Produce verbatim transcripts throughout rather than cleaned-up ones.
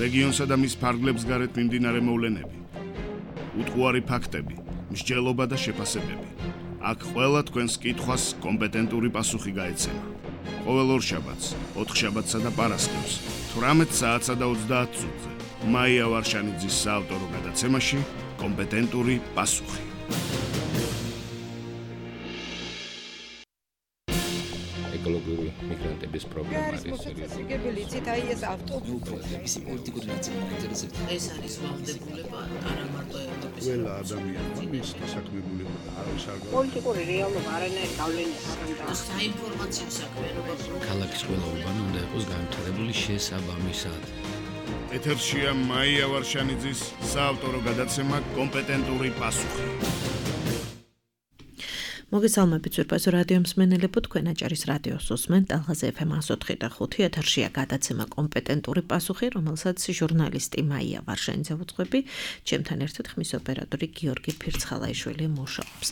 რეგიონსა და მის ფარგლებს გარეთ მიმდინარე მოვლენები, უტყუარი ფაქტები, მსჯელობა და შეფასებები. აქ ყველა თქვენს კითხვას კომპეტენტური პასუხი გაეცემა. ყოველ ორშაბათს, ოთხშაბათსა და პარასკევს, თვრამეტ საათსა და ოცდაათ წუთზე. მაია ვარშანიძის საავტორო გადაცემაში კომპეტენტური პასუხი. ეკოლოგიური მიგრანტების პრობლემა არის მოსაწესრიგებელი იცით აი ეს ავტობუსების პოლიტიკური ნაციონალიზაცია ეს არის ვალდებულება არა მარტო ევროპის ყველა ადამიანმა მის დასაქმებულება და არის არ პოლიტიკური რეალობა არანაირ გავლენას არ აქვს საინფორმაციო საქმიანობა ქალაქის ყველა უბანი უნდა იყოს განვითარებული შესაბამისად. ეთერშია მაია ვარშანიძის საავტორო გადაცემა კომპეტენტური პასუხი. მოგესალმებით ზურბაზო რადიო მსმენელებო, თქვენ აჭარის რადიოს უსმენთ ალღაზე ეფ ემ ათს ოთხი და ხუთი ეთერშია გადაცემა კომპეტენტური პასუხი, რომელსაც ჟურნალისტი მაია ვარშანიძე უძღვები, ჩემთან ერთად ხმის ოპერატორი გიორგი ფირცხალაიშვილი მუშაობს.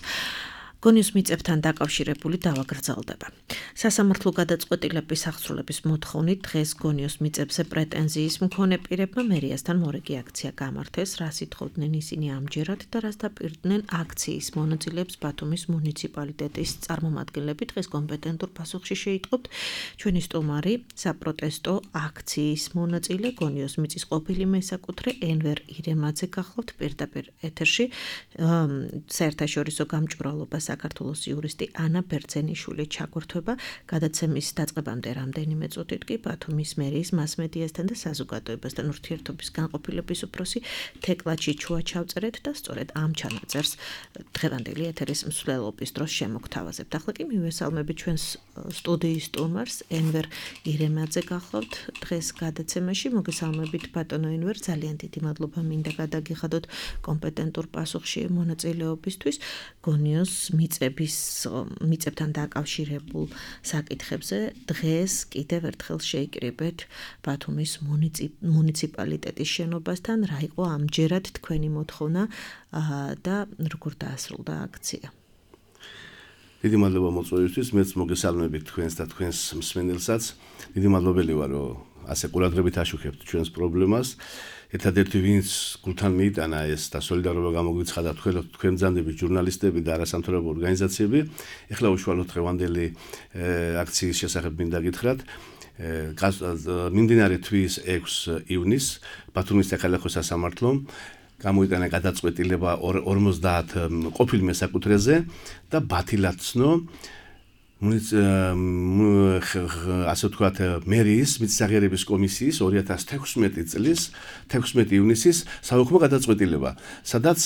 გონიოს მიწებთან დაკავშირებული დავა გრძელდება. სასამართლო გადაწყვეტილების აღსრულების მოთხოვნით დღეს გონიოს მიწებზე პრეტენზიის მქონე პირებმა მერიასთან მორიგი აქცია გამართეს, რას ითხოვდნენ ისინი ამჯერად და რას დაპირდნენ აქციის მონაწილეებს ბათუმის მუნიციპალიტეტის წარმომადგენლები. დღეს კომპეტენტურ პასუხში შეიტყობთ ჩვენი სტუმარი, საპროტესტო აქციის მონაწილე, გონიოს მიწის ყოფილი მესაკუთრე ენვერ ირემაძე გახლავთ პირდაპირ ეთერში. საერთაშორისო გამჭვირვალობას საქართველოს იურისტი ანა ბერძენიშვილი ჩაგვერთვება. გადაცემის დაწყებამდე რამდენიმე წუთით კი ბათუმის მერიის მასმედიასთან და საზოგადოებასთან ურთიერთობის განყოფილების უფროსი თეკლა ჩიჩუა ჩავწერეთ და სწორედ ამ ჩანაწერს დღევანდელი ეთერის მსვლელობის დროს შემოგთავაზებთ. ახლა კი მივესალმებით ჩვენს სტუდიის სტუმარს ენვერ ირემაძე გახლავთ დღეს გადაცემაში. მოგესალმებით ბატონო ენვერ, ძალიან დიდი მადლობა მინდა გადაგიხადოთ კომპეტენტურ პასუხში მონაწილეობისთვის. გონიოს მიწების მიწებთან დაკავშირებულ საკითხებზე დღეს კიდევ ერთხელ შეიკრიბეთ ბათუმის მუნიციპალიტეტის შენობასთან. რა იყო ამჯერად თქვენი მოთხოვნა და როგორ დაასრულდა აქცია? დიდი მადლობა მოწვევისთვის, მეც მოგესალმებით თქვენს და თქვენს მსმენელსაც. დიდი მადლობელი ვარ, რომ ასე ყურადღებით აშუქებთ ჩვენს პრობლემას. ერთადერთი ვინც გულთან მიიტანა ეს და სოლიდარობა გამოგვიცხადა თქვენ ბრძანდებით ჟურნალისტები და არასამთავრობო ორგანიზაციები. ეხლა უშუალოდ დღევანდელი აქციის შესახებ მინდა გითხრათ. მიმდინარე თვის ექვსი ივნისს ბათუმის საქალაქო სასამართლომ გამოიტანა გადაწყვეტილება ორმოცდაათ ყოფილ მესაკუთრეზე და ბათილად ცნო ასე ვთქვათ მერიის მიწისაღებების კომისიის ორი ათას თექვსმეტი წლის თექვსმეტი ივნისის საუქმო გადაწყვეტილება, სადაც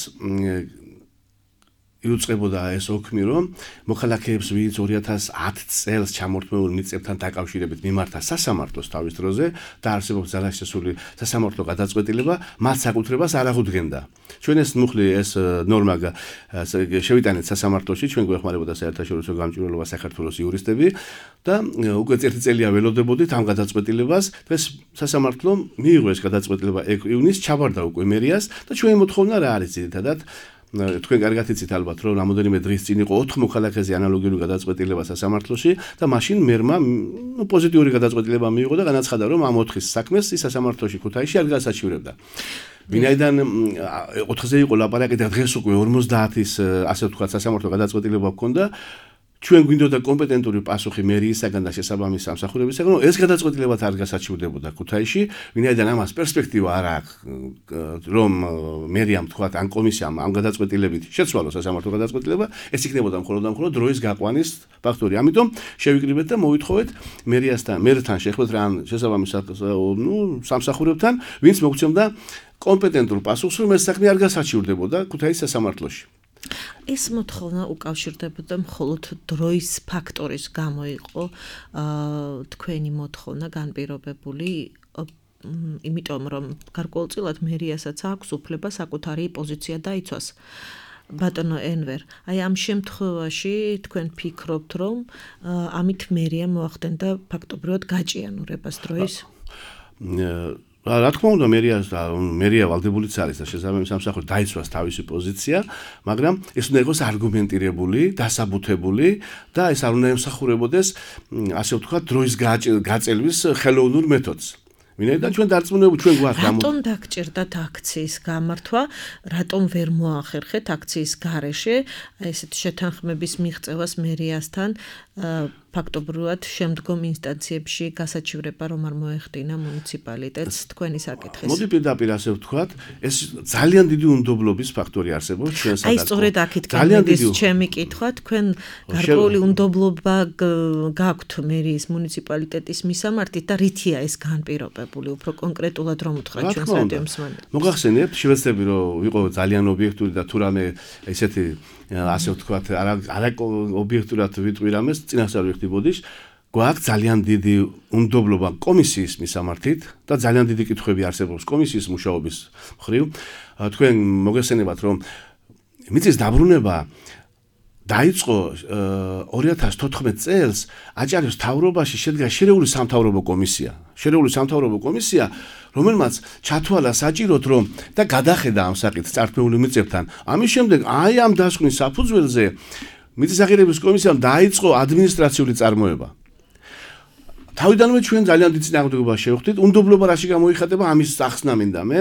იუწყებოდა ეს ოქმი, რომ მოქალაქეებს, ვინც ორი ათას ათი წელს ჩამორთმეულ მიწებთან დაკავშირებით მიმართა სასამართლოს თავის დროზე და არსებობს ძალაში შესული სასამართლო გადაწყვეტილება, მათ საკუთრებას არ აღუდგენდა. ჩვენ ეს მუხლი ეს ნორმა შევიტანეთ სასამართლოში, ჩვენ გვეხმარებოდა საერთაშორისო გამჭვირვალობა საქართველოს იურისტები და უკვე ერთი წელია ველოდებოდით ამ გადაწყვეტილებას. დღეს სასამართლომ მიიღო ეს გადაწყვეტილება ექვსი ივნისს, ჩაბარდა უკვე მერიას და ჩვენი მოთხოვნა რა არის ძირითადად? თქვენ კარგად იცით ალბათ, რომ რამოდენიმე დღის წინ იყო ოთხ მოქალაქეზე ანალოგიური გადაწყვეტილება სასამართლოში და მაშინ მერმა პოზიტიური გადაწყვეტილება მიიღო და განაცხადა, რომ ამ ოთხის საქმეს ის სასამართლოში ქუთაისში არ გასაჩივრებდა. ვინაიდან ოთხზე იყო ლაპარაკი და დღეს უკვე ორმოცდაათის ასე ვთქვათ სასამართლო გადაწყვეტილება ჰქონდა, ჩვენ გვინდოდა კომპეტენტური პასუხი მერიისაგან და შესაბამის სამსახურებისაგან, რომ ეს გადაწყვეტილებაც არ გასაჩივრდებოდა ქუთაისში, ვინაიდან ამას პერსპექტივა არ აქვს, რომ მერიამ თქვათ ან კომისიამ ამ გადაწყვეტილებით შეცვალოს სასამართლო გადაწყვეტილება, ეს იქნებოდა მხოლოდ და მხოლოდ დროის გაყვანის ფაქტორი. ამიტომ შევიკრიბეთ და მოვითხოვეთ მერიასთან, მერთან შეხვდეთ რა შესაბამის ნუ სამსახურებთან, ვინც მოგცემდა კომპეტენტურ პასუხს, რომ ეს საქმე არ გასაჩივრდებოდა ქუთაისის სასამართლოში. ეს მოთხოვნა უკავშირდებოდა მხოლოდ დროის ფაქტორის გამო იყო თქვენი მოთხოვნა განპირობებული, იმიტომ რომ გარკვეულწილად მერიასაც აქვს უფლება საკუთარი პოზიცია დაიცვას. ბატონო ენვერ, აი ამ შემთხვევაში თქვენ ფიქრობთ, რომ ამით მერია მოახდენდა ფაქტობრივად გაჭიანურებას დროის? რა თქმა უნდა, მერიას და მერია ვალდებულიც არის და შესაბამის სამსახური დაიცვას თავისი პოზიცია, მაგრამ ეს უნდა იყოს არგუმენტირებული, დასაბუთებული და ეს არ უნდა ემსახურებოდეს, ასე ვთქვათ, დროის გაწელვის ხელოვნურ მეთოდს. ვინაიდან ჩვენ დარწმუნებული ჩვენ გვაქვს რატომ დაგჭირდათ აქციის გამართვა, რატომ ვერ მოახერხეთ აქციის გარეშე ესეთ შეთანხმების მიღწევას მერიასთან ფაქტობრივად შემდგომ ინსტანციებში გასაჩივრება რომ არ მოეხდინა მუნიციპალიტეტს თქვენი საკითხის. მოდი პირდაპირ ასე ვთქვათ, ეს ძალიან დიდი უნდობლობის ფაქტორი არსებობს ჩვენ სადაც. აი სწორედ აქეთ გამოდის ჩემი კითხვა, თქვენ გარკვეული უნდობლობა გაქვთ მერიის მუნიციპალიტეტის მისამართით და რითია ეს განპირობებული, უფრო კონკრეტულად რომ უთხრათ ჩვენს რადიო მსმენელს. მოგახსენებთ, შევეცდები რომ ვიყო ძალიან ობიექტური და თუ რამე ესეთი ასე ვთქვათ, არა არა ობიექტურად ვიტყვი რამეს, წინასწარ ვიხდი ბოდიშ, გვაქვს ძალიან დიდი უნდობლობა კომისიის მისამართით და ძალიან დიდი კითხვები არსებობს კომისიის მუშაობის მხრივ. თქვენ მოგესწრებათ რომ მიწის დაბრუნება დაიწყო ორი ათას თოთხმეტ წელს აჭარის მთავრობაში შედგა შერეული სამთავრობო კომისია. შერეული სამთავრობო კომისია, რომელმაც ჩათვალა საჭიროდ რომ და გადახედა ამ საკითხს წართმეული მიწებთან. ამის შემდეგ აი ამ დასკვნის საფუძველზე მიწის აღიარების კომისიამ დაიწყო ადმინისტრაციული წარმოება. თავიდანვე ჩვენ ძალიან დიდ წინააღმდეგობას შევხვდით, უნდობლობა რაში გამოიხატება ამის სახსნა მინდა მე.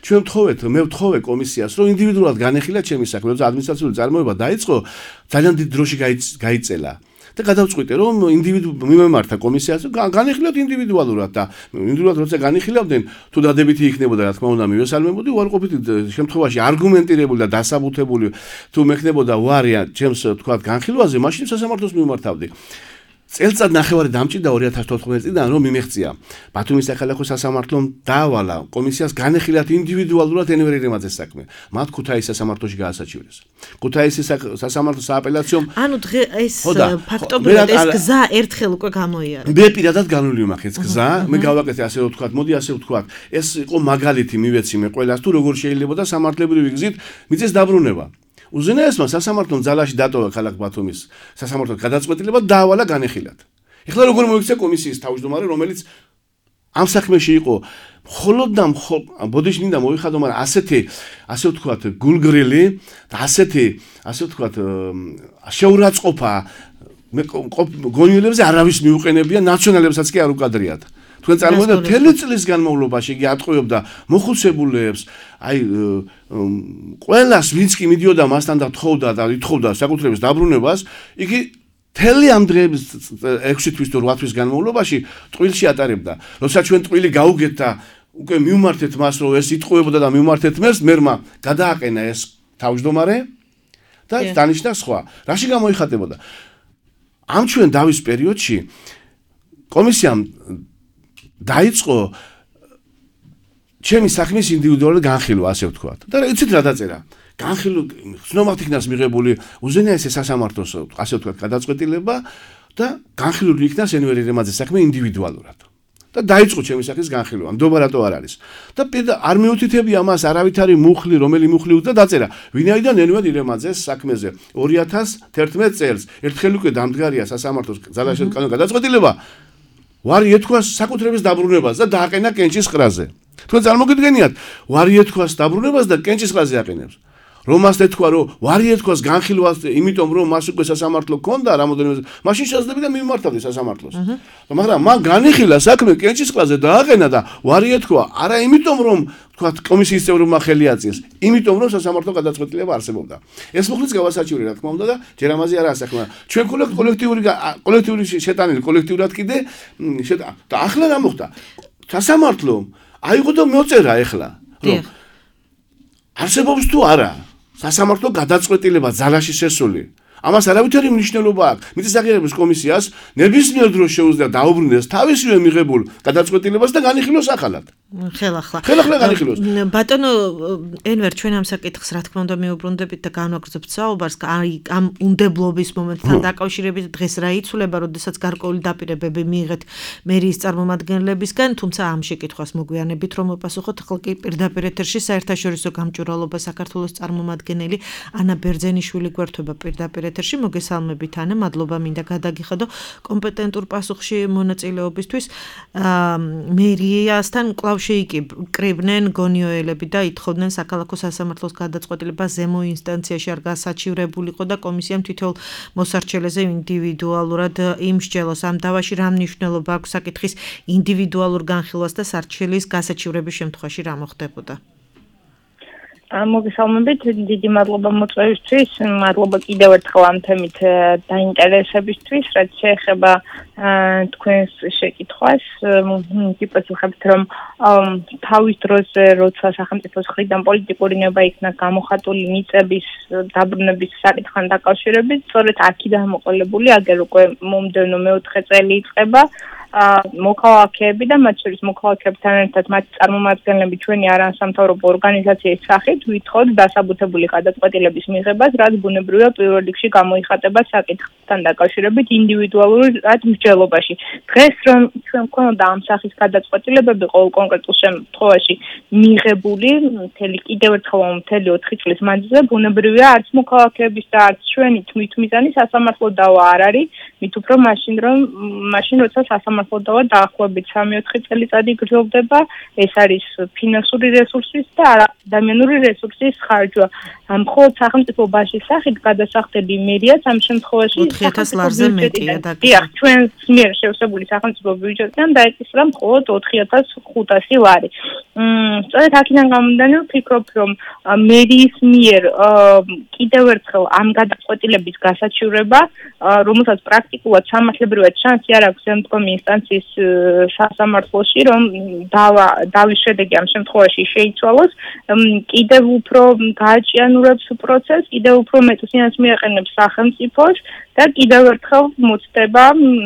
ჩვენ ვთხოვეთ, მე ვთხოვე კომისიას, რომ ინდივიდუალურად განეხილა ჩემი საქმე, როცა ადმინისტრაციული წარმოება დაიწყო, ძალიან დიდ დროში გაიწელა. და გადავწყვიტე რომ ინდივიდუ მიმემართა კომისიას განეხილოთ ინდივიდუალურად და ინდივიდუალურად როცა განიხილავდნენ თუ დადებითი იქნებოდა რა თქმა უნდა მივესალმებოდი უარყოფითი შემთხვევაში არგუმენტირებული და დასაბუთებული თუ მექნებოდა უარი ჩემს თქვა განხილვაზე მაშინ სასამართლოს მიმართავდი წელწად ნახევარი დამჭირდა ორი ათას თოთხმეტ წლიდან რომ მიმეღწია ბათუმის საქალაქო სასამართლომ დაავალა კომისიას განეხილათ ინდივიდუალურად ენვერ ირემაძეს საქმე მათ ქუთაისის სასამართლოში გაასაჩივრეს ქუთაისის სასამართლოს სააპელაციო ანუ დღე ეს ფაქტობრივად ეს გზა ერთხელ უკვე გამოიარა მე პირადად განვლილი მაქვს ეს გზა მე გავაკეთე ასე ვთქვათ მოდი ასე ვთქვათ ეს იყო მაგალითი მივეცი მე ყველას თუ როგორ შეიძლება სამართლებრივი გზით მიწის დაბრუნება უზენაესმა სასამართლომ ძალაში დატოვა ქალაქ ბათუმის სასამართლოს გადაწყვეტილება დაავალა განეხილათ. ეხლა როგორ მოიქცა კომისიის თავმჯდომარე, რომელიც ამ საქმეში იყო მხოლოდ და ბოდიში მინდა მოიხადო, მაგრამ ასეთი, ასე ვთქვათ, გულგრილი და ასეთი, ასე ვთქვათ, შეურაცხყოფა გონიოლებზე არავის მიუყენებია, ნაციონალებსაც კი არ უკადრიათ. თქვენ წარმოიდგინეთ მთელი წლის განმავლობაში იგი ატყუებდა მოხუცებულებს, აი ყველას ვინც კი მიდიოდა მასთან და თხოვდა და ითხოვდა საკუთრების დაბრუნებას, იგი მთელი ამ დღეების ექვსი თვის თუ რვა თვის განმავლობაში ტყუილში ატარებდა. როცა ჩვენ ტყუილი გაუგეთ და უკვე მივმართეთ მას, რომ ეს იტყუებოდა და მივმართეთ მერს, მერმა გადააყენა ეს თავმჯდომარე და დანიშნა სხვა. რაში გამოიხატებოდა? ამ ჩვენ დავის პერიოდში კომისიამ დაიწყო ჩემი საქმის ინდივიდუალური განხილვა, ასე ვთქვათ. და იცით რა დაწერა? განხილვა ცნობად იქნას მიღებული უზენაესი სასამართლოს, ასე ვთქვათ, გადაწყვეტილება და განხილული იქნას ენვერ ირემაძეს საქმე ინდივიდუალურად. და დაიწყო ჩემი სახის განხილვა, ნდობა რატო არ არის. და არ მიუთითებია მას არავითარი მუხლი, რომელი მუხლი უწდა დაწერა. ვინაიდან ენვერ ირემაძეს საქმეზე ორი ათას თერთმეტ წელს ერთხელ უკვე დამდგარია სასამართლოს ძალაში გადაწყვეტილება ვარი ეთქვას საკუთრების დაბრუნებას და დააყენა კენჭის ყრაზე. თქვენ წარმოგიდგენიათ, ვარი ეთქვას დაბრუნებას და კენჭის ყრაზე აყენებს. რომ მას ეთქვა, რომ ვარი ეთქვას განხილვას, იმიტომ რომ მას უკვე სასამართლო ჰქონდა რამოდენიმე, მაშინ შესაძლებელი და მიმართავდი სასამართლოს. მაგრამ მან განიხილა საქმე კენჭის ყრაზე და აყენა და ვარი ეთქვა, არა იმიტომ რომ თქვათ კომისიის წევრებმა ხელი აწიეს, იმიტომ რომ სასამართლო გადაწყვეტილება არსებობდა. ეს მოხდით გავასაჩივრე რა თქმა უნდა და ჯერ ამაზე არა საქმე. ჩვენ კოლექტიური კოლექტიური შეტანილი კოლექტიურად კიდე და ახლა რა მოხდა? სასამართლომ აიღო და მოწერა ახლა, რომ არსებობს თუ არა სასამართლო გადაწყვეტილება ძალაში შესული. ამას არავითარი მნიშვნელობა აქვს. მიწის აღიარების კომისიას ნებისმიერ დროს შეუძლია დაუბრუნდეს თავისივე მიღებულ გადაწყვეტილებას და განიხილოს ახალად. ხელახლა. ხელახლა განიხილოს. ბატონო ენვერ ჩვენ ამ საკითხს რა თქმა უნდა მიუბრუნდებით და განვაგრძობთ საუბარს აი ამ უნდებლობის მომენტთან დაკავშირებით დღეს რა იცვლება, როდესაც გარკვეული დაპირებები მიიღეთ მერიის წარმომადგენლებისგან, თუმცა ამ შეკითხვას მოგვიანებით რომ მოპასუხოთ, ახლა კი პირდაპირ ეთერში საერთაშორისო გამჭვირვალობა საქართველოს წარმომადგენელი ანა ბერძენიშვილი გვერდება პირდაპირ ეთერში მოგესალმებით ანა, მადლობა მინდა გადაგიხადო კომპეტენტურ პასუხში მონაწილეობისთვის. მერიასთან კვლავ შეიკრიბნენ გონიოელები და ითხოვდნენ საქალაქო სასამართლოს გადაწყვეტილება ზემო ინსტანციაში არ გასაჩივრებულიყო და კომისიამ თითოეულ მოსარჩელეზე ინდივიდუალურად იმსჯელოს. ამ დავაში რა მნიშვნელობა აქვს საკითხის ინდივიდუალურ განხილვას და სარჩელის გასაჩივრების შემთხვევაში რა მოხდებოდა? მოგესალმებით, დიდი მადლობა მოწვევისთვის, მადლობა კიდევ ერთხელ ამ თემით დაინტერესებისთვის, რაც შეეხება თქვენს შეკითხვას. გიპასუხებთ, რომ თავის დროზე, როცა სახელმწიფოს მხრიდან პოლიტიკური ნება იქნა გამოხატული მიწების დაბრუნების საკითხთან დაკავშირებით, სწორედ აქედან მოყოლებული, აგერ უკვე მომდევნო მეოთხე წელი იწყება. მოქალაქეები და მათ შორის მოქალაქეებთან ერთად მათი წარმომადგენლები ჩვენი არასამთავრობო ორგანიზაციის სახით ვითხოვთ დასაბუთებული გადაწყვეტილების მიღებას, რაც ბუნებრივია პირველ რიგში გამოიხატება საკითხთან დაკავშირებით ინდივიდუალურად მსჯელობაში. დღეს რომ ჩვენ გვქონოდა ამ სახის გადაწყვეტილებები ყოველ კონკრეტულ შემთხვევაში მიღებული, მთელი კიდევ ერთხელ მთელი ოთხი წლის მანძილზე ბუნებრივია არც მოქალაქეების და არც ჩვენი თვითმიზანი სასამართლო დავა არ არის, მით უფრო მაშინ რომ მაშინ როცა სასამართლო დავა დაახლოებით სამი-ოთხი წელიწადი გრძელდება, ეს არის ფინანსური რესურსის და ადამიანური რესურსის ხარჯვა. მხოლოდ სახელმწიფო ბაჟის სახით გადასახდები მერიაც ამ შემთხვევაში ოთხი ათას ლარზე მეტია და დიახ, ჩვენს მიერ შევსებული სახელმწიფო ბიუჯეტიდან დაეკისრა მხოლოდ ოთხი ათას ხუთასი ლარი. სწორედ აქედან გამომდინარე ვფიქრობ, რომ მერიის მიერ კიდევ ერთხელ ამ გადაწყვეტილების გასაჩივრება, რომელსაც პრაქტიკულად სამართლებრივად შანსი არ აქვს შემდგომი ინსტანციის სასამართლოში, რომ დავა დავის შედეგი ამ შემთხვევაში შეიცვალოს, კიდევ უფრო გააჭიანურებს პროცესს, კიდევ უფრო მეტ სინას მიაყენებს სახელმწიფოს და კიდევ ერთხელ მოწდება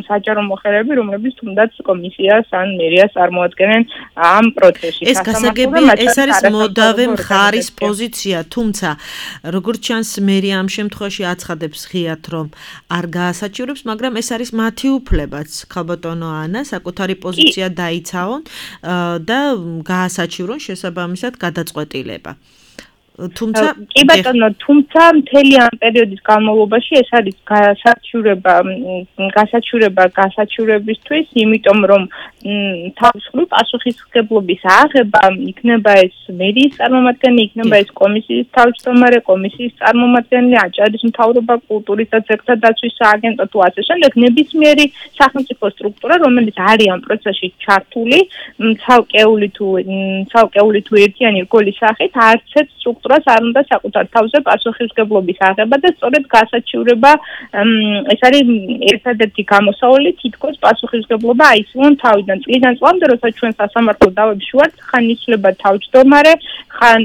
საჯარო მოხელეები, რომლებიც თუნდაც კომისიას ან მერიას წარმოადგენენ ამ პროცესში. ეს გასაგებია, ეს არის მოდავე მხარის პოზიცია, თუმცა როგორც ჩანს მერია ამ შემთხვევაში აცხადებს ღიად, რომ არ გაასაჩივრებს, მაგრამ ეს არის მათი უფლებაც. ხალბატონო ანა, საკუთარი პოზიცია დაიცავონ და გაასაჩივრონ შესაბამისად გადაწყვეტილება. თუმცა კი ბატონო, თუმცა მთელი ამ პერიოდის განმავლობაში ეს არის გასაჩივრება, გასაჩივრება გასაჩივრებისთვის, იმიტომ რომ თავისუფლი პასუხისმგებლობის აღება იქნება ეს მერიის წარმომადგენელი, იქნება ეს კომისიის თავმჯდომარე, კომისიის წარმომადგენელი, აჭარის მთავრობა, კულტურის და ძეგლთა დაცვის სააგენტო თუ ასე შემდეგ, ნებისმიერი სახელმწიფო სტრუქტურა, რომელიც არის ამ პროცესში ჩართული, ცალკეული თუ ცალკეული თუ ერთიანი რგოლის სახით, არც ერთ სტრუქტურას არ უნდა საკუთარ თავზე პასუხისმგებლობის აღება და სწორედ გასაჩივრება ეს არის ერთადერთი გამოსავალი თითქოს პასუხისმგებლობა აისვან თავიდან წლიდან წლამდე, როცა ჩვენ სასამართლო დავებში ვართ, ხან იცვლება თავმჯდომარე, ხან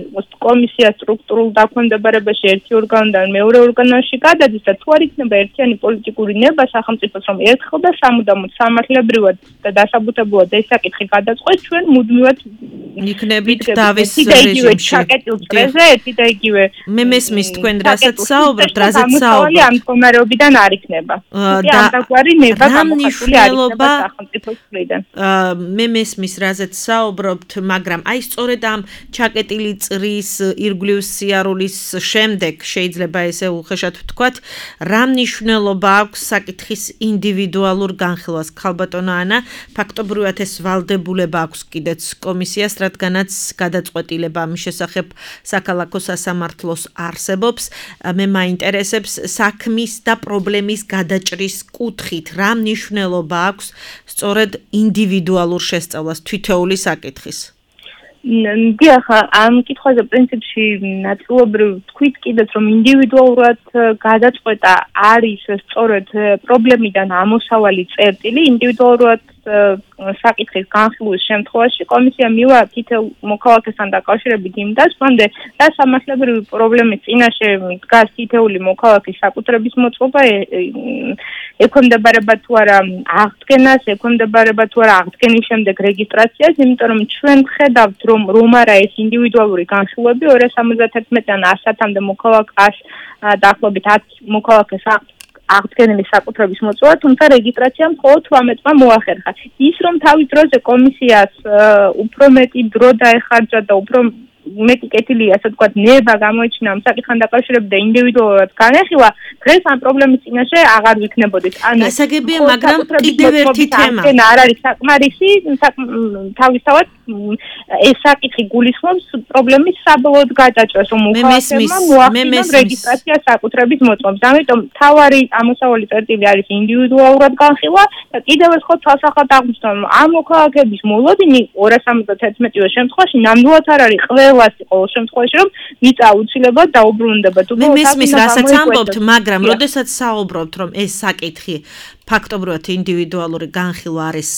კომისია სტრუქტურულ დაქვემდებარებაში ერთი ორგანოდან მეორე ორგანოში გადადის და თუ არ იქნება ერთიანი პოლიტიკური ნება სახელმწიფოს, რომ ერთხელ და სამუდამოდ სამართლებრივად და დასაბუთებულად ეს საკითხი გადაწყვეტს, ჩვენ მუდმივად იქნებით დავის რეჟიმში. ერთი და იგივე მე მესმის თქვენ რასაც საუბრობთ, რასაც საუბრობთ ამ მდგომარეობიდან არ იქნება. და ამ დაგვარი ნება გამოხატული არ იქნება სახელმწიფოს მხრიდან. მე მესმის რასაც საუბრობთ, მაგრამ აი სწორედ ამ ჩაკეტილი წრის ირგვლივ სიარულის შემდეგ შეიძლება ესე უხეშად ვთქვათ, რა მნიშვნელობა აქვს საკითხის ინდივიდუალურ განხილვას. ხალბატონო ანა, ფაქტობრივად ეს ვალდებულება აქვს კიდეც კომისიას, რადგანაც გადაწყვეტილება ამის შესახებ საქალაქო სასამართლოს არსებობს. მე მაინტერესებს საქმის და პრობლემის გადაჭრის კუთხით რა მნიშვნელობა აქვს სწორედ ინდივიდუალურ შესწავლას თითოეული საკითხის. დიახ, ამ კითხვაზე პრინციპში ნაწილობრივ თქვით კიდეც, რომ ინდივიდუალურად გადაწყვეტა არის სწორედ პრობლემიდან ამოსავალი წერტილი, ინდივიდუალურად საკითხის განხილვის შემთხვევაში კომისია მივა თითოეულ მოქალაქესთან დაკავშირებით იმ დასკვამდე, რა სამართლებრივი პრობლემის წინაშე დგას თითოეული მოქალაქის საკუთრების მოწყობა, ექვემდებარება თუ არა აღდგენას, ექვემდებარება თუ არა აღდგენის შემდეგ რეგისტრაციას, იმიტომ რომ ჩვენ ვხედავთ, რომ რომ არა ეს ინდივიდუალური განხილვები ორ ას სამოცდათერთმეტიდან ასამდე მოქალაქეს დაახლოებით ათ მოქალაქეს აღდგენილი საკუთრების მოწვევა, თუმცა რეგისტრაცია მხოლოდ თვრამეტმა მოახერხა. ის რომ თავის დროზე კომისიას უფრო მეტი დრო დაეხარჯა და უფრო მეტი კეთილია, ასე ვთქვათ, ნება გამოიჩინა ამ საკითხთან დაკავშირებით და ინდივიდუალურად განეხილა, დღეს ამ პრობლემის წინაშე აღარ ვიქნებოდით. ანუ გასაგებია, მაგრამ კიდევ ერთი თემა. არ არის საკმარისი, თავისთავად ეს საკითხი გულისხმობს პრობლემის საბოლოოდ გადაჭრას, რომ მოხალხეებმა მოახდინონ რეგისტრაცია საკუთრების მოწმობს. ამიტომ თავარი ამოსავალი წერტილი არის ინდივიდუალურად განხილვა და კიდევ ერთხელ თვალსაჩინო აღმოჩნდა, რომ ამ მოქალაქეების მოლოდინი ორას ორმოცდათერთმეტივე შემთხვევაში ნამდვილად არ არის ყველას ყოველ შემთხვევაში, რომ მიწა აუცილებლად დაუბრუნდება. მე მესმის, რასაც ამბობთ, მაგრამ როდესაც საუბრობთ, რომ ეს საკითხი ფაქტობრივად ინდივიდუალური განხილვა არის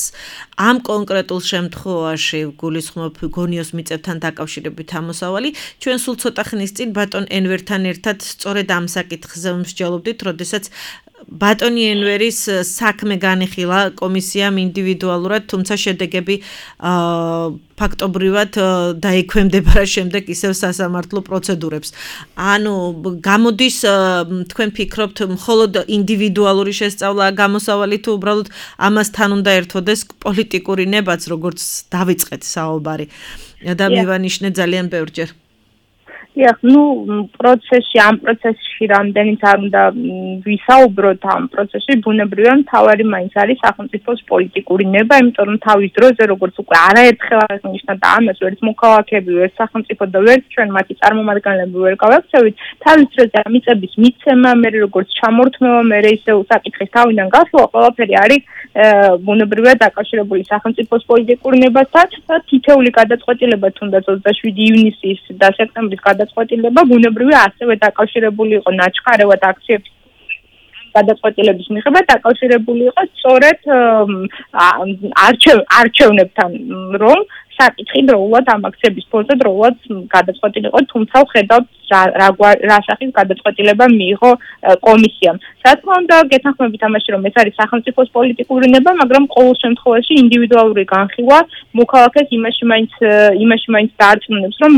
ამ კონკრეტულ შემთხვევაში გულისხმობ გონიოს მიწებთან დაკავშირებით ამოსავალი, ჩვენ სულ ცოტა ხნის წინ ბატონ ენვერთან ერთად სწორედ ამ საკითხზე მსჯელობდით, როდესაც ბატონი ენვერის საქმე განიხილა კომისიამ ინდივიდუალურად, თუმცა შედეგები ფაქტობრივად დაექვემდებარა შემდეგ ისევ სასამართლო პროცედურებს. ანუ გამოდის თქვენ ფიქრობთ, მხოლოდ ინდივიდუალური შესწავლა გამოსავალი თუ უბრალოდ ამასთან უნდა ერთვოდეს პოლიტიკური ნებაც, როგორც დავიწყეთ საუბარი და მივანიშნე ძალიან ბევრჯერ. Ja, nu პროცესში, ამ პროცესში რამდენიც არ უნდა ვისაუბროთ ამ პროცესში, ბუნებრივია მთავარი მაინც არის სახელმწიფოს პოლიტიკური ნება, იმიტომ რომ თავის დროზე როგორც უკვე არაერთხელ აღნიშნა და ამას ვერც მოქალაქეები, ვერც სახელმწიფო და ვერც ჩვენ მათი წარმომადგენლები ვერ გავაქცევით, თავის დროზე მიწების მიცემა, მე როგორც ჩამორთმევა, მე ისევ საკითხის თავიდან გასვლა, ყველაფერი არის ბუნებრივია დაკავშირებული სახელმწიფოს პოლიტიკურ ნებასთან და თითეული გადაწყვეტილება თუნდაც ოცდაშვიდი ივნისის და სექტემბრის გადაწყვეტილება ბუნებრივია ასევე დაკავშირებული იყო ნაჩქარევად აქციების გადაწყვეტილების მიღება დაკავშირებული იყო სწორედ არჩევნებთან, რომ საკითხი დროულად ამ აქციების ფონზე დროულად გადაწყვეტილი იყო, თუმცა ვხედავთ რა სახის გადაწყვეტილება მიიღო კომისიამ. რა თქმა უნდა, გეთანხმებით ამაში, რომ ეს არის სახელმწიფოს პოლიტიკური ნება, მაგრამ ყოველ შემთხვევაში ინდივიდუალური განხილვა მოქალაქეს იმაში მაინც იმაში მაინც დაარწმუნებს, რომ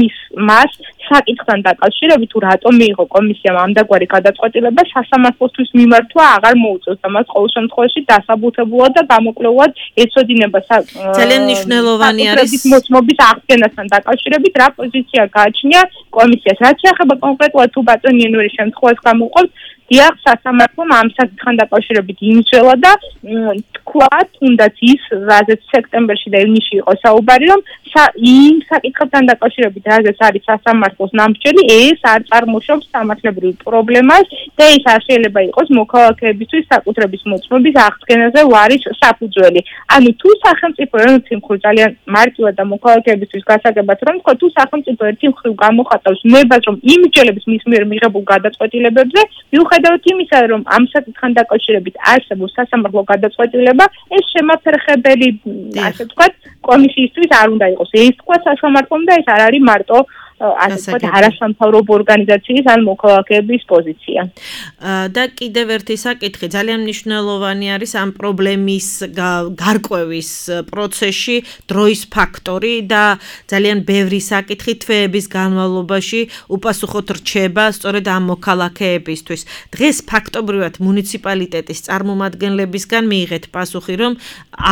მას საკითხთან დაკავშირებით თუ რატომ მიიღო კომისიამ ამდაგვარი გადაწყვეტილება სასამართლოსთვის მიმართვა აღარ მოუწევს და მას ყოველ შემთხვევაში დასაბუთებულად და გამოკვლევად ეცოდინება ძალიან მნიშვნელოვანი არის მოწმობის აღდგენასთან დაკავშირებით რა პოზიცია გააჩნია კომისიას. რაც შეეხება კონკრეტულად თუ ბატონი ენვერის შემთხვევას გამოვყავთ, დიახ, სასამართლომ ამ საკითხთან დაკავშირებით იმსჯელა და თქვა, თუნდაც ის, რაზეც სექტემბერში და ივნისში იყო საუბარი, რომ იმ საკითხთან დაკავშირებით, რაზეც არის სასამართლოს ნამსჯელი, ეს არ წარმოშობს სამართლებრივ პრობლემას და ეს არ შეიძლება იყოს მოქალაქეებისთვის საკუთრების მოწმობის აღდგენაზე ვარის საფუძველი. ანუ თუ სახელმწიფო ერთ მხრივ ძალიან მარტივად და მოქალაქეებისთვის გასაგებად რომ თქვა, თუ სახელმწიფო ერთ მხრივ გამოხატავს ნებას, რომ იმსჯელებს მის მიერ მიღებულ გადაწყვეტილებებზე, მიუხედავად იმისა, რომ ამ საკითხთან დაკავშირებით არსებობს სასამართლო გადაწყვეტილება, ეს შემაფერხებელი, ასე ვთქვათ, კომისიისთვის არ უნდა იყოს. ეს თქვა სასამართლომ და ეს არ არის მარტო ასე ვთქვათ, არასამთავრობო ორგანიზაციის ან მოქალაქეების პოზიცია. და კიდევ ერთი საკითხი ძალიან მნიშვნელოვანი არის ამ პრობლემის გარკვევის პროცესში დროის ფაქტორი და ძალიან ბევრი საკითხი თვეების განმავლობაში უპასუხოდ რჩება სწორედ ამ მოქალაქეებისთვის. დღეს ფაქტობრივად მუნიციპალიტეტის წარმომადგენლებისგან მიიღეთ პასუხი, რომ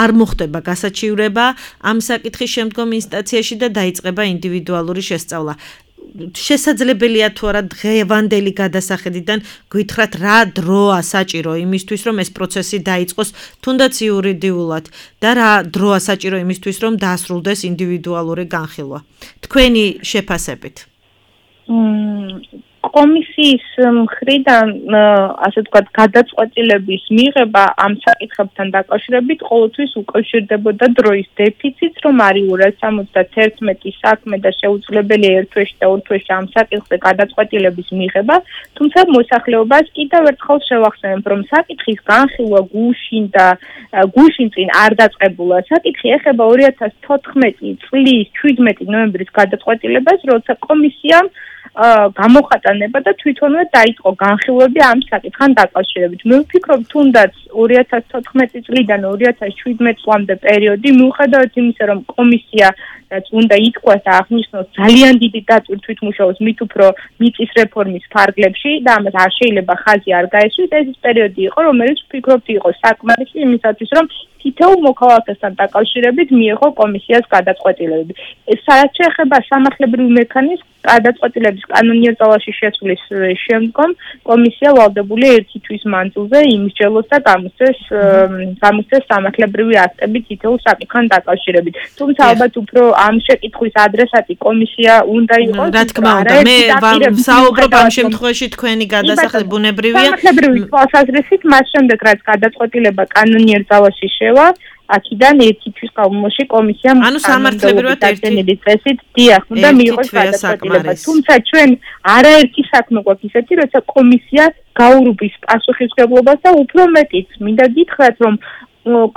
არ მოხდება გასაჩივრება ამ საკითხის შემდგომ ინსტანციაში და დაიწყება ინდივიდუალური შესწავლა. შესაძლებელია თუ არა დღევანდელი გადასახედიდან გითხრათ რა დროა საჭირო იმისთვის, რომ ეს პროცესი დაიწყოს თუნდაც იურიდიულად და რა დროა საჭირო იმისთვის, რომ დაასრულდეს ინდივიდუალური განხილვა. თქვენი შეფასებით. კომისიის მხრიდან, ასე ვთქვათ, გადაწყვეტილების მიღება ამ საკითხებთან დაკავშირებით ყოველთვის უკავშირდებოდა დროის დეფიციტს, რომ არის ორას სამოცდათერთმეტი საქმე და შეუძლებელია ერთ თვეში და ორ თვეში ამ საკითხზე გადაწყვეტილების მიღება, თუმცა მოსახლეობას კიდევ ერთხელ შევახსენებ, რომ საკითხის განხილვა გუშინ და გუშინ წინ არ დაწყებულა. საკითხი ეხება ორი ათას თოთხმეტი წლის შვიდმეტი ნოემბრის გადაწყვეტილებას, როცა კომისიამ გამოხატანება და თვითონვე დაიწყო განხილვები ამ საკითხთან დაკავშირებით. მე ვფიქრობ, თუნდაც ორი ათას თოთხმეტი წლიდან ორი ათას შვიდმეტი წლამდე პერიოდი, მიუხედავად იმისა, რომ კომისია რაც უნდა ითქვას და აღნიშნოს ძალიან დიდი დაწვრთვით მუშაობს მით უფრო მიწის რეფორმის ფარგლებში და ამას არ შეიძლება ხაზი არ გაეცვით. ეს ის პერიოდი იყო, რომელიც ვფიქრობთ იყო საკმარისი იმისათვის, რომ თითოეულ მოქალაქესთან დაკავშირებით მიიღო კომისიას გადაწყვეტილებები. სადაც შეეხება სამართლებრივ მექანიზმს, გადაწყვეტილების კანონიერ ძალაში შესვლის შემდგომ კომისია ვალდებულია ერთი თვის მანძილზე იმსჯელოს და გამოსცეს გამოსცეს სამართლებრივი აქტები თითოეულ საკითხთან დაკავშირებით. თუმცა ალბათ უფრო ამ შეკითხვის ადრესატი კომისია უნდა იყოს. რა თქმა უნდა, მე საუბრობ ამ შემთხვევაში თქვენი გადასახადი ბუნებრივია. სამართლებრივი თვალსაზრისით მას შემდეგ რაც გადაწყვეტილება კანონიერ ძალაში შევა აქედან ერთი თვის განმავლობაში კომისიამ ანუ სამართლებრივად ერთი წესით დიახ უნდა მიიღოს გადაწყვეტილება. თუმცა ჩვენ არაერთი საქმე გვაქვს ისეთი, როცა კომისია გაურბის პასუხისმგებლობას და უფრო მეტიც მინდა გითხრათ, რომ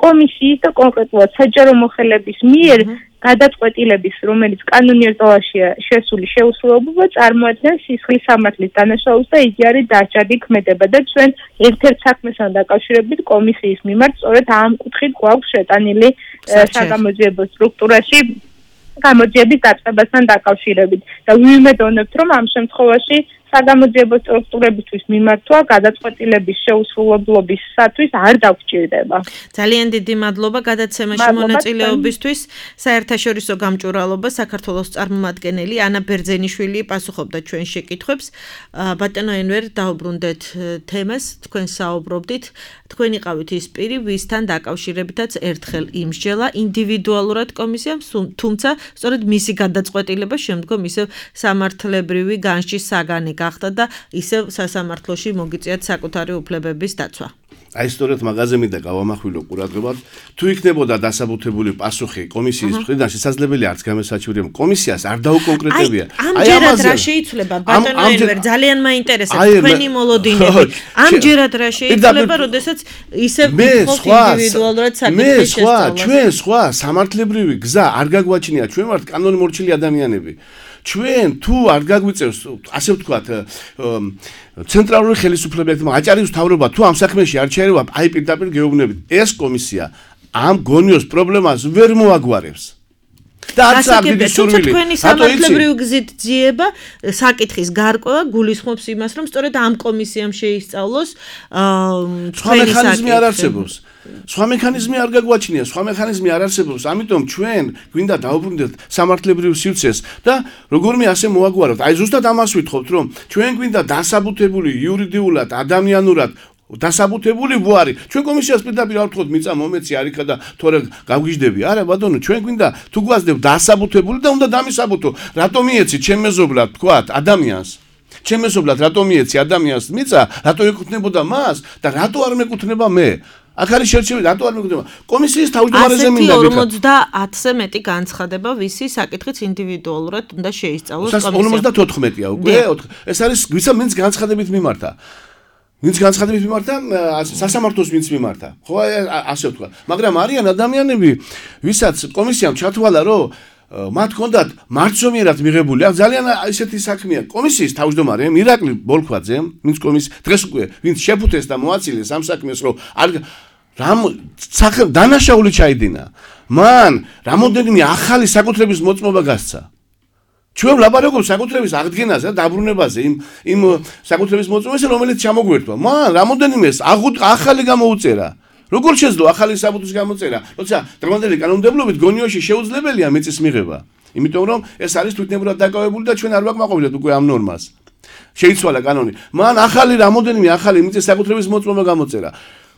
კომისიის და კონკრეტულად საჯარო მოხელების მიერ გადაწყვეტილების, რომელიც კანონიერ ძალაშია შესული შეუსრულებლობა წარმოადგენს სისხლის სამართლის დანაშაულს და იგი არის დაჯადი ქმედება და ჩვენ ერთ-ერთ საქმესთან დაკავშირებით კომისიის მიმართ სწორედ ამ კუთხით გვაქვს შეტანილი საგამოძიებო სტრუქტურაში გამოძიების დაწყებასთან დაკავშირებით და ვიმედოვნებთ, რომ ამ შემთხვევაში საგამოძიებო სტრუქტურებისთვის მიმართვა გადაწყვეტილების შეუსრულებლობისათვის არ დაგჭირდება. ძალიან დიდი მადლობა გადაცემაში მონაწილეობისთვის. საერთაშორისო გამჭვირვალობა საქართველოს წარმომადგენელი ანა ბერძენიშვილი პასუხობდა ჩვენ შეკითხვებს. ბატონო ენვერ, დაუბრუნდეთ თემას, თქვენ საუბრობდით. თქვენ იყავით ის პირი, ვისთან დაკავშირებითაც ერთხელ იმსჯელა ინდივიდუალურად კომისიამ, თუმცა სწორედ მისი გადაწყვეტილება შემდგომ ისევ სამართლებრივი განშტის საგანი გახდა და ისევ სასამართლოში მოგიწიათ საკუთარი უფლებების დაცვა. აი სწორედ მაგაზე მინდა გავამახვილო ყურადღებად, თუ იქნებოდა დასაბუთებული პასუხი კომისიის მხრიდან, შესაძლებელი არც გამოსაჩვენებელი კომისიას არ დაუკონკრეტებია. აი ამჯერად რა შეიცვლება ბატონო ენვერ, ძალიან მაინტერესებს თქვენი მოლოდინები. ამჯერად რა შეიცვლება, როდესაც ისევ ვიქოთ ინდივიდუალურად საკითხის შესწავლას. ჩვენ სხვა სამართლებრივი გზა არ გაგვაჩნია, ჩვენ ვართ კანონმორჩილი ადამიანები. ჩვენ თუ არ გაგვიწევს, ასე ვთქვათ, ცენტრალური ხელისუფლებების აჭარის მთავრობა თუ ამ საქმეში არ ჩაერევა, აი პირდაპირ გეუბნებით, ეს კომისია ამ გონიოს პრობლემას ვერ მოაგვარებს. და არც არ დიდი სურვილი. თქვენი სამართლებრივი გზით ძიება საკითხის გარკვევა გულისხმობს იმას, რომ სწორედ ამ კომისიამ შეისწავლოს სხვა მექანიზმი არ არსებობს. სხვა მექანიზმი არ გაგვაჩნია, სხვა მექანიზმი არ არსებობს, ამიტომ ჩვენ გვინდა დაუბრუნდეთ სამართლებრივ სივრცეს და როგორმე ასე მოაგვაროთ. აი ზუსტად ამას ვითხოვთ, რომ ჩვენ გვინდა დასაბუთებული იურიდიულად, ადამიანურად დასაბუთებული ვარი. ჩვენ კომისიას პირდაპირ არ ვთქვათ, მიწა მომეცი არიქა და თორე გავგიჟდები. არა ბატონო, ჩვენ გვინდა თუ გვასდებ დასაბუთებული და უნდა დამისაბუთო. რატომ მიეცი ჩემ მეზობლად თქვათ ადამიანს? ჩემ მეზობლად რატომ მიეცი ადამიანს მიწა? რატო ეკუთვნებოდა მას და რატო არ მეკუთვნება მე? აქ არის შერჩევილი, რატო არ მეკუთვნება? კომისიის თავმჯდომარეზე მინდა ვიქა. ორმოცდაათზე მეტი განცხადება, ვისი საკითხიც ინდივიდუალურად უნდა შეისწავლოს კომისიამ. ორმოცდათოთხმეტია უკვე. ეს არის ვიცა მენს განცხადებით მიმართა. ვინც განცხადებით მიმართა, სასამართლოს ვინც მიმართა. ხო, ასე ვთქვა. მაგრამ არიან ადამიანები, ვისაც კომისიამ ჩათვალა, რომ მათ ჰქონდათ მარცომიერად მიღებული, აქ ძალიან ისეთი საქმეა. კომისიის თავმჯდომარე ირაკლი ბოლქვაძე, ვინც კომის დღეს უკვე ვინც შეფუთეს და მოაცილეს ამ საქმეს, რომ არ რამ დანაშაული ჩაიდინა. მან რამოდენიმე ახალი საკუთრების მოწმობა გასცა. ჩვენ ვლაპარაკობთ საკუთრების აღდგენაზე და დაბრუნებაზე იმ იმ საკუთრების მოწმობაზე, რომელიც ჩამოგვერთვა. მან რამოდენიმე ახალი გამოუწერა. როგორ შეძლო ახალი საბუთის გამოწერა, როცა დრომანდელი კანონმდებლობით გონიოში შეუძლებელია მიწის მიღება. იმიტომ რომ ეს არის თვითნებურად დაკავებული და ჩვენ არ ვაკმაყოფილეთ უკვე ამ ნორმას. შეიცვალა კანონი. მან ახალი რამოდენიმე ახალი მიწის საკუთრების მოწმობა გამოწერა.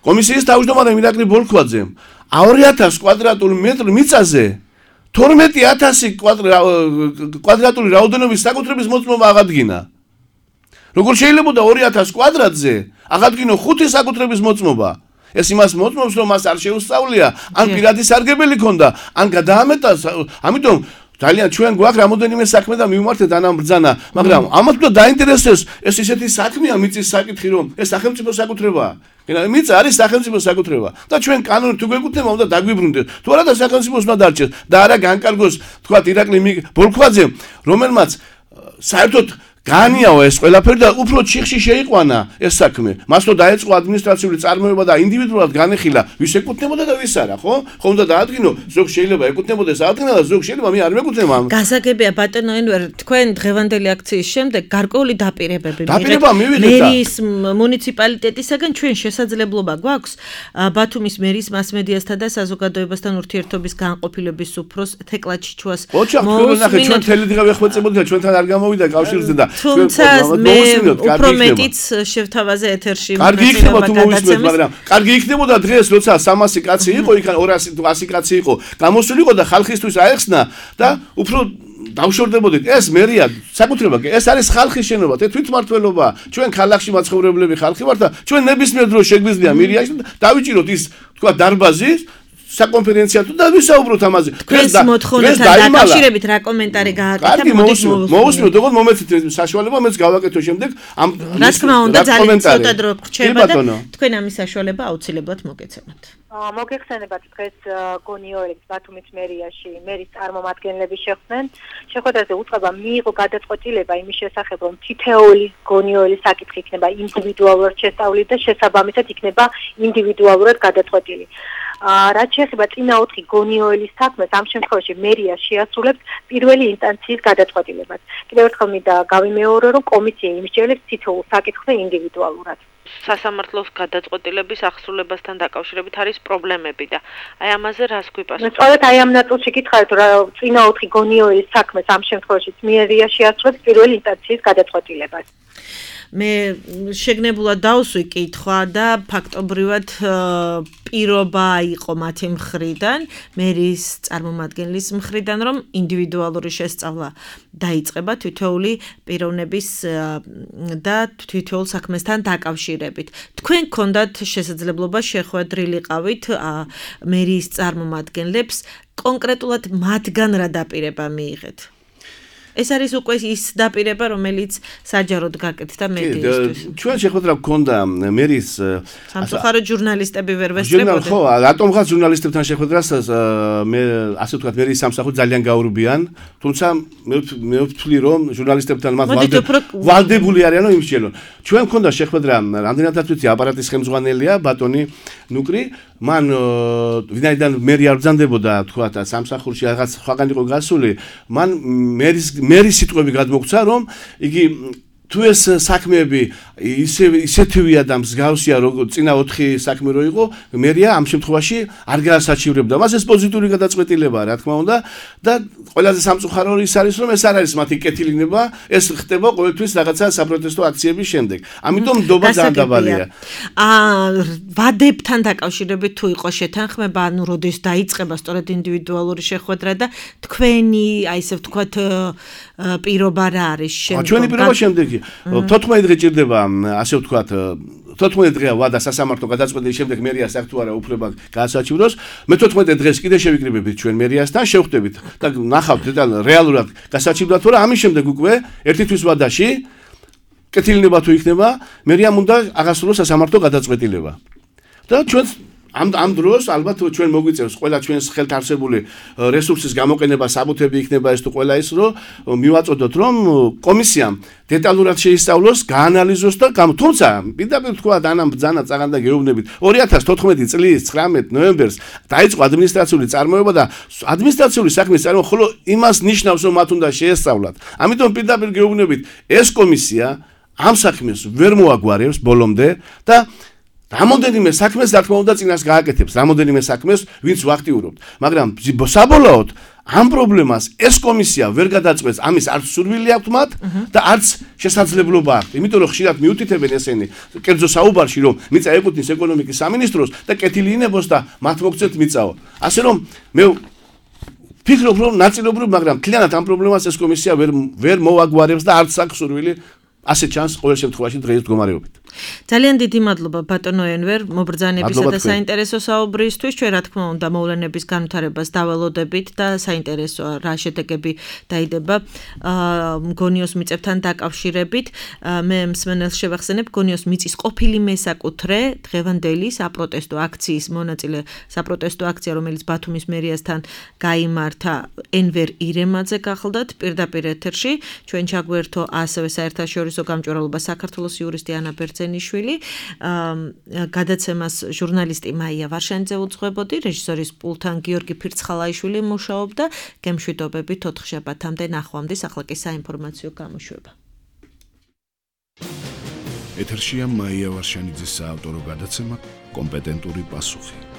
კომისიის თავმჯდომარე ირაკლი ბოლქვაძემ ორი ათასი კვადრატული მეტრი მიწაზე თორმეტი ათასი კვადრატული რაოდენობის საკუთრების მოწმობა აღადგინა. როგორ შეიძლება ორი ათასი კვადრატზე აღადგინო ხუთი საკუთრების მოწმობა? ეს იმას მოწმობს, რომ მას არ შეუსწავლია, ან პირადი სარგებელი ქონდა, ან გადაამეტა, ამიტომ ძალიან ჩვენ გვაქვს რამოდენიმე საქმე და მივმართეთ ანამ ბრძანა, მაგრამ ამათ უნდა დაინტერესდეს ეს ისეთი საქმეა მიწის საკითხი, რომ ეს სახელმწიფო საკუთრებაა. მიწა არის სახელმწიფო საკუთრება და ჩვენ კანონით თუ გვეკუთვნება, უნდა დაგვიბრუნდეთ. თუ არა და სახელმწიფოს უნდა დარჩეს და არა განკარგოს, თქვათ ირაკლი ბოლქვაძემ, რომელმაც საერთოდ განიაო ეს ყველაფერი და უფრო ჩიხში შეიყვანა ეს საქმე. მას რო დაეწყო ადმინისტრაციული წარმოება და ინდივიდუალურად განეხილა, ვის ეკუთვნებოდა და ვის არა, ხო? ხო უნდა დაადგინო, ზოგ შეიძლება ეკუთვნებოდეს ადგინა და ზოგ შეიძლება მე არ მეკუთვნება. გასაგებია ბატონო ენვერ, თქვენ დღევანდელი აქციის შემდეგ გარკვეული დაპირებები დაპირება მივიღეთ და მერის მუნიციპალიტეტისაგან ჩვენ შესაძლებლობა გვაქვს ბათუმის მერის მასმედიასთან და საზოგადოებასთან ურთიერთობის განყოფილების უფროს თეკლაჩიჩუას მოუსმინოთ. ჩვენ თელედღა ვეხვეწებოდი და ჩვენთან არ გამოვიდა კავშირზე და თუმცა მე უფრო მეტიც შევთავაზე ეთერში კარგი იქნება თუ მოვისმენთ, მაგრამ კარგი იქნებოდა დღეს როცა სამასი კაცი იყო, იქ ორასი თუ ასი კაცი იყო, გამოსულიყო და ხალხისთვის აეხსნა და უფრო დავშორდებოდით. ეს მერია საკუთრება კი, ეს არის ხალხის შენობა, თვითმმართველობა. ჩვენ ქალაქში მაცხოვრებლები ხალხი ვართ და ჩვენ ნებისმიერ დროს შეგვიძლია მერიაში დავიჭიროთ ის თქვა დარბაზი საკონფერენციო თუ და ვისაუბროთ ამაზე. დღეს მოთხოვნებთან დაკავშირებით რა კომენტარი გააკეთა მოდის მოусმენთ, როგორ მომეცით საშუალება, მეც გავაკეთო შემდეგ ამ რა თქმა უნდა ძალიან ცოტა დრო გრჩება და თქვენ ამის საშუალება აუცილებლად მოგეცემათ. მოგეხსენებათ დღეს გონიოელებს ბათუმის მერიაში მერის წარმომადგენლები შეხვდნენ. შეხვედრაზე უწყება მიიღო გადაწყვეტილება იმის შესახებ, რომ თითოეული გონიოელის საკითხი იქნება ინდივიდუალურად შესწავლილი და შესაბამისად იქნება ინდივიდუალურად გადაწყვეტილი. რაც შეეხება წინა ოთხი გონიოელის საქმეს, ამ შემთხვევაში მერია შეასრულებს პირველი ინსტანციის გადაწყვეტილებას. კიდევ ერთხელ მინდა გავიმეორო, რომ კომისია იმსჯელებს თითოეულ საკითხზე ინდივიდუალურად. სასამართლოს გადაწყვეტილების ახსრულებასთან დაკავშირებით არის პრობლემები და აი ამაზე რას გვიპასუხებთ? სწორედ აი ამ ნაწილში გითხარით, რომ წინა ოთხი გონიოელის საქმეს ამ შემთხვევაში მერია შეასრულებს პირველი ინსტანციის გადაწყვეტილებას. მე შეგნებულად დავსვი კითხვა და ფაქტობრივად პირობა იყო მათი მხრიდან, მერის წარმომადგენლის მხრიდან, რომ ინდივიდუალური შესწავლა დაიწყება თითოეული პიროვნების და თითოეულ საქმესთან დაკავშირებით. თქვენ გქონდათ შესაძლებლობა შეხვედრილიყავით მერის წარმომადგენლებს, კონკრეტულად მათგან რა დაპირება მიიღეთ? ეს არის უკვე ის დაპირება, რომელიც საჯაროდ გაკეთდა მედიისთვის. ჩვენ შეხვედრა გქონდა მერის სამწუხაროდ ჟურნალისტები ვერ ვესწრებოდნენ. ხო, რატომღაც ჟურნალისტებთან შეხვედრას მე ასე ვთქვათ, მერის სამსახური ძალიან გაურბიან, თუმცა მე ვთვლი, რომ ჟურნალისტებთან მათ ვალდებული არიანო იმსჯელონ. ჩვენ გქონდა შეხვედრა, რამდენადაც ვიცი, აპარატის ხელმძღვანელია ბატონი ნუკრი, მან ვინაიდან მერი არ ბრძანდებოდა, თქვათ, სამსახურში რაღაც სხვაგან იყო გასული, მან მერის მერის სიტყვები გადმოგცა, რომ იგი თუ ეს საქმეები ისე ისეთივია და მსგავსია, როგორც წინა ოთხი საქმე რო იყო, მერია ამ შემთხვევაში არ გაასაჩივრებდა. მას ეს პოზიტიური გადაწყვეტილებაა, რა თქმა უნდა, და ყველაზე სამწუხარო ის არის, რომ ეს არ არის მათი კეთილინება, ეს ხდება ყოველთვის რაღაცა საპროტესტო აქციების შემდეგ. ამიტომ ნდობა ძალიან დაბალია. აა ვადებთან დაკავშირებით თუ იყო შეთანხმება, ანუ როდის დაიწყება სწორედ ინდივიდუალური შეხვედრა და თქვენი, აი ესე ვთქვათ, პირობა რა არის შემდგომ? ჩვენი პირობა შემდეგი თოთხმეტი დღე ჭირდება, ასე ვთქვათ, თოთხმეტი დღეა ვადა სასამართლო გადაწყვეტილის შემდეგ მერიას აქ თუ არა უფლება გაასაჩივროს. მე თოთხმეტი დღეს კიდე შევიკრიბებით ჩვენ მერიასთან, შევხვდებით და ნახავთ რეალურად გასაჩივრდა თუ რა, ამის შემდეგ უკვე ერთი თვის ვადაში კეთილინება თუ იქნება, მერიამ უნდა აღასრულოს სასამართლო გადაწყვეტილება. და ჩვენ ამ ამ დროს ალბათ ჩვენ მოგვიწევს ყველა ჩვენს ხელთ არსებული რესურსის გამოყენება, საბუთები იქნება ეს თუ ყველა ის, რომ მივაწოდოთ, რომ კომისიამ დეტალურად შეისწავლოს, გაანალიზოს და თუმცა პირდაპირ თქვა დანამ ბრძანა წაღან და გეუბნებით ორი ათას თოთხმეტი წლის ცხრამეტ ნოემბერს დაიწყო ადმინისტრაციული წარმოება და ადმინისტრაციული საქმის წარმოება ხოლო იმას ნიშნავს, რომ მათ უნდა შეესწავლათ. ამიტომ პირდაპირ გეუბნებით ეს კომისია ამ საქმეს ვერ მოაგვარებს ბოლომდე და რამოდენიმე საქმეს რა თქმა უნდა წინას გააკეთებს, რამოდენიმე საქმეს ვინც ვაქტიურობთ, მაგრამ საბოლოოდ ამ პრობლემას ეს კომისია ვერ გადაწყვეტს, ამის არც სურვილი აქვს მათ და არც შესაძლებლობა აქვს. იმიტომ რომ ხშირად მიუთითებენ ესენი კერძო საუბარში, რომ მიწა ეკუთვნის ეკონომიკის სამინისტროს და კეთილი ინებოს და მათ მოგცეთ მიწაო. ასე რომ მე ფიქრობ, რომ ნაწილობრივ, მაგრამ მთლიანად ამ პრობლემას ეს კომისია ვერ ვერ მოაგვარებს და არც აქვს სურვილი ასე ჩანს ყოველ შემთხვევაში დღეს მდგომარეობით. ძალიან დიდი მადლობა ბატონო ენვერ მობრძანებისა და საინტერესო საუბრისთვის. ჩვენ რა თქმა უნდა მოვლენების განვითარებას დაველოდებით და საინტერესოა რა შედეგები დაიდება გონიოს მიწებთან დაკავშირებით. მე მსმენელს შევახსენებ გონიოს მიწის ყოფილი მესაკუთრე დღევანდელი საპროტესტო აქციის მონაწილე საპროტესტო აქცია რომელიც ბათუმის მერიასთან გაიმართა ენვერ ირემაძე გახლდათ პირდაპირ ეთერში. ჩვენ ჩაგვერთო ასევე საერთაშორისო გამჭვირვალობა საქართველოს იურისტი ანა ბერძენიშვილი, გადაცემას ჟურნალისტი მაია ვარშანიძე უძღვებოდი, რეჟისორის პულთან გიორგი ფირცხალაიშვილი მუშაობდა. გემშვიდობებით ოთხშაბათამდე ნახვამდის, ახლა კი საინფორმაციო გამოშვება. ეთერშია მაია ვარშანიძის საავტორო გადაცემა კომპეტენტური პასუხი.